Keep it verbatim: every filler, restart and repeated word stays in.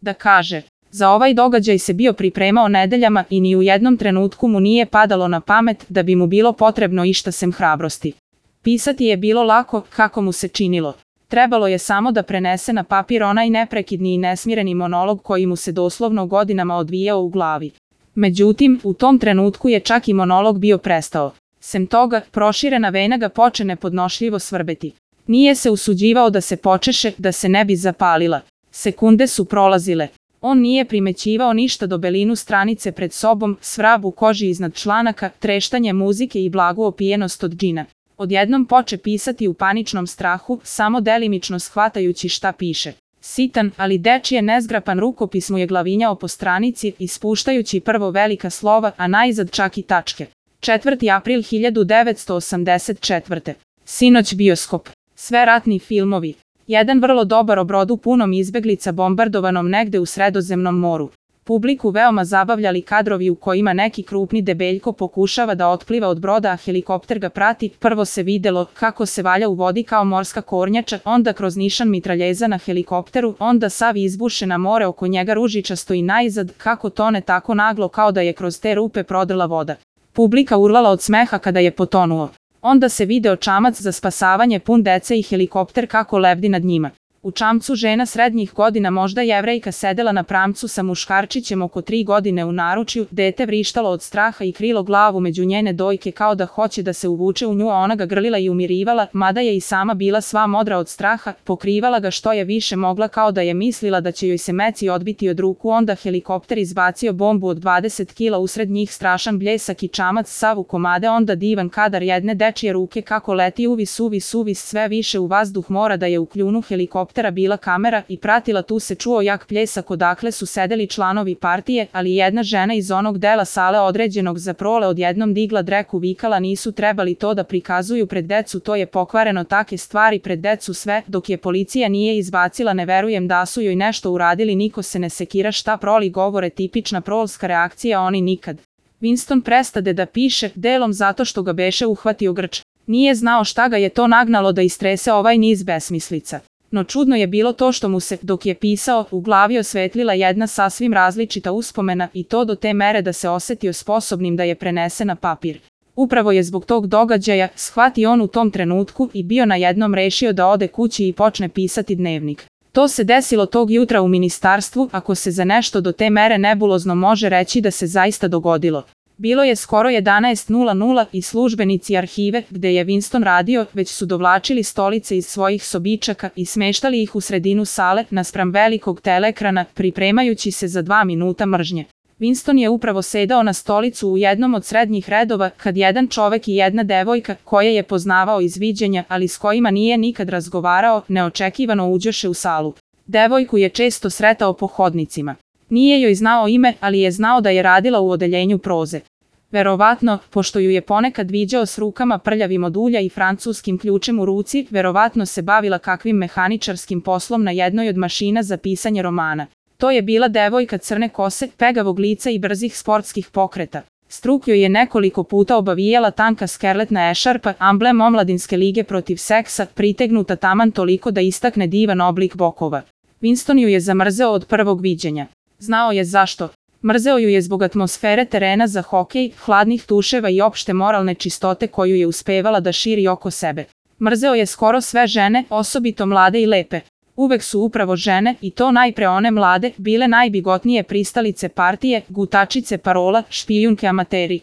da kaže. Za ovaj događaj se bio pripremao nedeljama i ni u jednom trenutku mu nije padalo na pamet da bi mu bilo potrebno išta sem hrabrosti. Pisati je bilo lako, kako mu se činilo. Trebalo je samo da prenese na papir onaj neprekidni i nesmireni monolog koji mu se doslovno godinama odvijao u glavi. Međutim, u tom trenutku je čak i monolog bio prestao. Sem toga, proširena vena ga poče nepodnošljivo svrbeti. Nije se usuđivao da se počeše, da se ne bi zapalila. Sekunde su prolazile. On nije primećivao ništa do belinu stranice pred sobom, svrab u koži iznad članaka, treštanje muzike i blagu opijenost od džina. Odjednom poče pisati u paničnom strahu, samo delimično shvatajući šta piše. Sitan, ali dečije nezgrapan rukopis mu je glavinjao po stranici, ispuštajući prvo velika slova, a najzad čak i tačke. četvrti april hiljadu devetsto osamdeset četvrte. Sinoć bioskop. Sve ratni filmovi. Jedan vrlo dobar o brodu punom izbeglica bombardovanom negde u Sredozemnom moru. Publiku veoma zabavljali kadrovi u kojima neki krupni debeljko pokušava da otpliva od broda, a helikopter ga prati. Prvo se videlo kako se valja u vodi kao morska kornjača, onda kroz nišan mitraljeza na helikopteru, onda sav izbuše na more oko njega ružičasto i najzad, kako tone tako naglo kao da je kroz te rupe prodrla voda. Publika urlala od smeha kada je potonuo. Onda se video čamac za spasavanje pun dece i helikopter kako lebdi nad njima. U čamcu žena srednjih godina, možda Jevrejka, sedela na pramcu sa muškarčićem oko tri godine u naručju, dete vrištalo od straha i krilo glavu među njene dojke kao da hoće da se uvuče u nju, a ona ga grlila i umirivala, mada je i sama bila sva modra od straha, pokrivala ga što je više mogla kao da je mislila da će joj se meci odbiti od ruku. Onda helikopter izbacio bombu od dvadeset kila, usred njih strašan bljesak i čamac sav u komade, onda divan kadar jedne dečije ruke kako leti uvis uvis uvis sve više u vazduh, mora da je u kljunu helikoptera bila kamera i pratila. Tu se čuo jak pljesak odakle su sedeli članovi partije, ali jedna žena iz onog dela sale određenog za prole odjednom digla dreku, vikala nisu trebali to da prikazuju pred decu, to je pokvareno, take stvari pred decu sve, dok je policija nije izbacila. Ne verujem da su joj nešto uradili, niko se ne sekira šta proli govore, tipična prolska reakcija, oni nikad. Winston prestade da piše, delom zato što ga beše uhvatio grč. Nije znao šta ga je to nagnalo da istrese ovaj niz besmislica. No čudno je bilo to što mu se, dok je pisao, u glavi osvetlila jedna sasvim različita uspomena, i to do te mere da se osetio sposobnim da je prenese na papir. Upravo je zbog tog događaja, shvati on u tom trenutku, i bio na jednom rešio da ode kući i počne pisati dnevnik. To se desilo tog jutra u ministarstvu, ako se za nešto do te mere nebulozno može reći da se zaista dogodilo. Bilo je skoro jedanaest sati i službenici arhive, gde je Winston radio, već su dovlačili stolice iz svojih sobičaka i smeštali ih u sredinu sale, naspram velikog teleekrana, pripremajući se za dva minuta mržnje. Winston je upravo sedao na stolicu u jednom od srednjih redova, kad jedan čovek i jedna devojka, koje je poznavao iz viđenja, ali s kojima nije nikad razgovarao, neočekivano uđoše u salu. Devojku je često sretao po hodnicima. Nije joj znao ime, ali je znao da je radila u odeljenju proze. Verovatno, pošto ju je ponekad viđao s rukama prljavim od ulja i francuskim ključem u ruci, verovatno se bavila kakvim mehaničarskim poslom na jednoj od mašina za pisanje romana. To je bila devojka crne kose, pegavog lica i brzih sportskih pokreta. Struk joj je nekoliko puta obavijala tanka skerletna ešarpa, amblem omladinske lige protiv seksa, pritegnuta taman toliko da istakne divan oblik bokova. Winston ju je zamrzeo od prvog viđenja. Znao je zašto. Mrzeo ju je zbog atmosfere terena za hokej, hladnih tuševa i opšte moralne čistote koju je uspevala da širi oko sebe. Mrzeo je skoro sve žene, osobito mlade i lepe. Uvek su upravo žene, i to najpre one mlade, bile najbigotnije pristalice partije, gutačice parola, špijunke amateri.